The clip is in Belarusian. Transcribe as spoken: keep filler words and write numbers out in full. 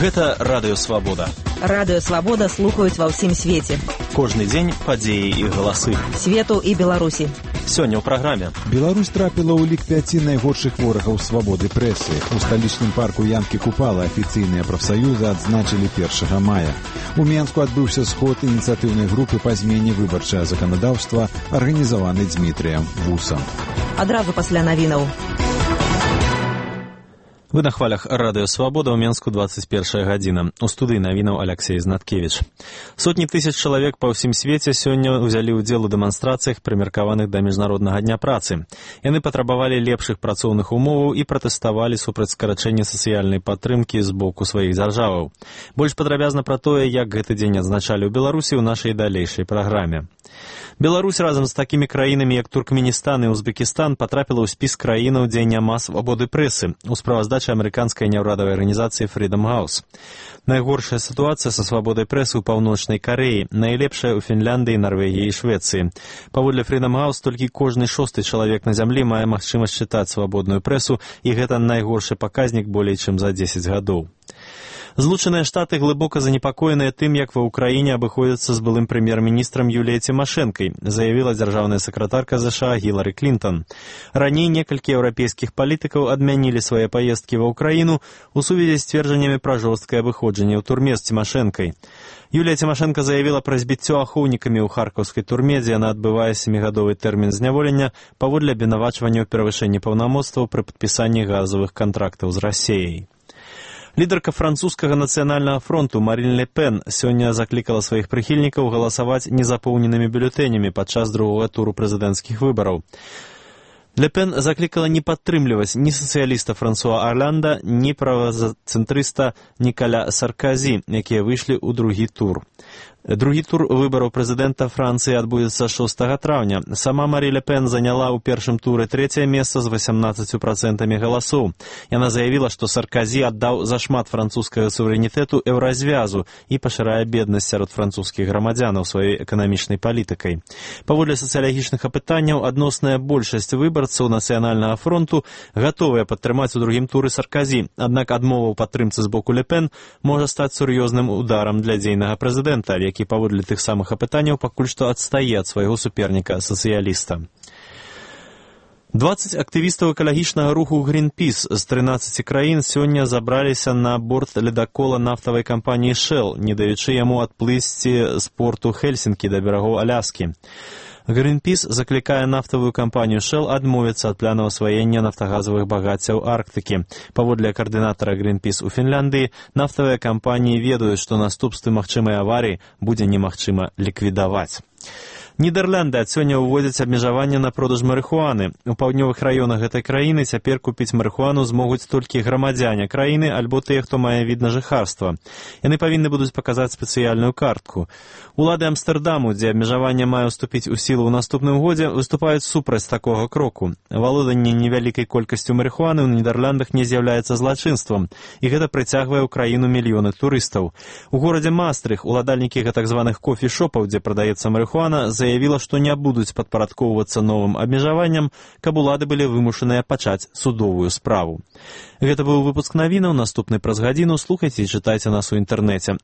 Гэта Радыё Свабода. Радыё Свабода слухаюць ва ўсім свеце. Кожны дзень падзеі і галасы. Свету і Беларусі. Сёння ў праграме. Беларусь трапіла ў лік пяці найгоршых ворагаў свабоды прэсы. У сталічным парку Янкі Купала афіцыйныя прафсаюзы адзначылі першага мая. У Менску адбыўся сход ініцыятыўнай групы па змене выбарчага заканадаўства, арганізаваны Дзмітрыем Вусам. Адразу пасля навінаў. Вы на хвалях Радыё Свабода, ў Менску двадцать первая гадзіна. У студыі навінаў Алексей Знаткевич. Сотні тысяч чалавек па ўсім свеце сёння ўзялі ўдзел у дэманстрацыях, прымеркаваных да Міжнароднага дня працы. Яны патрабавалі лепшых працоўных умоваў і пратэставалі супраць скарачэння сацыяльнай падтрымкі з боку сваіх дзяржаваў. Больш падрабязна пра тое, як гэты дзень адзначалі ў Беларусі, ў нашай далейшай праграме. Беларусь разам з такімі краінамі, як Туркменістан і Узбекістан, патрапіла ў спіс краінаў, дзе няма свабоды прэсы, у справаздачы амерыканскай няўрадавай арганізацыі Freedom House. Найгоршая сітуацыя са свабодай прэсы ў Паўночнай Карэі, найлепшая ў Фінляндыі, Нарвегіі і Швецыі. Паводле Freedom House, толькі кожны шосты чалавек на зямлі мае магчымасць чытаць свабодную прэсу, і гэта найгоршы паказнік болей чым за дзесяць гадоў. Злучаныя Штаты глыбока занепакоеныя тым, як ва ўкраіне абыходзяцца з былым прэм'ер-міністрам Юліяй Цімашэнкай, заявіла дзяржаўная сакратарка ЗША Гілары Клінтон. Раней некалькі еўрапейскіх палітыкаў адмянілі свае паездкі ва ўкраіну у сувязі з сцверджаннямі пра жорсткае абыходжанне ў турме з Цімашэнкай. Юлія Цімашэнка заявіла пра збіццё ахоўнікамі ў харкаўскай турме, дзе яна адбывае сямігадовы тэрмін зняволення паводле абвінавачвання ў перавышэнні паўнамоцтваў пры падпісанні газавых кантрактаў з Расіяй. Лідарка французскага нацыянальнага фронту Марін Ле Пен сёння заклікала сваіх прыхільнікаў галасаваць незапоўненымі бюлетэнямі падчас другога туру прэзідэнцкіх выбараў. Ле Пен заклікала не падтрымліваць ні сацыяліста Франсуа Орланда, ні правацэнтрыста Нікаля Сарказі, якія выйшлі ў другі тур. Другі тур выбараў прэзідэнта Францыі адбудзецца шостага траўня. Сама Марі Ле Пен заняла ў першым туры трэцяе месца з васямнаццаццю працэнтамі галасоў. Яна заявіла, што Сарказі аддаў зашмат французскага суверэнітэту еўразвязу і пашырае беднасць сярод французскіх грамадзянаў сваёй эканамічнай палітыкай. Паводле сацыялагічных апытанняў, адносная большасць выбарцаў нацыянальнага фронту гатовыя падтрымаць у другім туры Сарказі, аднак адмова ў падтрымцы з боку Ле Пен можа стаць сур'ёзным ударам для дзейнага прэзідэнта, які паводле тых самых апытанняў пакуль што адстае ад свайго суперніка-сацыяліста. дваццаць актывістаў экалагічнага руху Greenpeace з трынаццаці краін сёння забраліся на борт ледакола нафтавай кампаніі Shell, не даючы яму адплысці з порту Хельсінкі да берагоў Аляскі. Greenpeace заклікае нафтавую кампанію Shell адмовіцца ад плану асваення нафтагазавых багаццяў Арктыкі. Паводле каардынатара Greenpeace у Фінляндыі, нафтавыя кампаніі ведаюць, што наступствы магчымай аварыі будзе немагчыма ліквідаваць. Нідерланды ад сёння ўводзяць абмежаванне на продаж марыхуаны. У паўднёвых раёнах гэтай краіны цяпер купіць марыхуану змогуць толькі грамадзяне краіны альбо тыя, хто мае від на жыхарства. Яны павінны будуць паказаць спецыяльную картку. Улады Амстэрдаму, дзе абмежаванне мае ўступіць у сілу ў наступным годзе, выступаюць супраць такога кроку. Валоданне невялікай колькасцю марыхуаны ў Нідерландах не з'яўляецца злачынствам, і гэта прыцягвае ў краіну мільёны турыстаў. У горадзе Мастрых уладальнікі гэтак званых кофі-шопаў, дзе прадаецца марыхуана, заявіла, што не будуць падпарадкоўвацца новым абмежаванням, каб улады былі вымушаныя пачаць судовую справу. Гэта быў выпуск навінаў, наступны праз гадзіну. Слухайце і чытайце нас у інтэрнэце.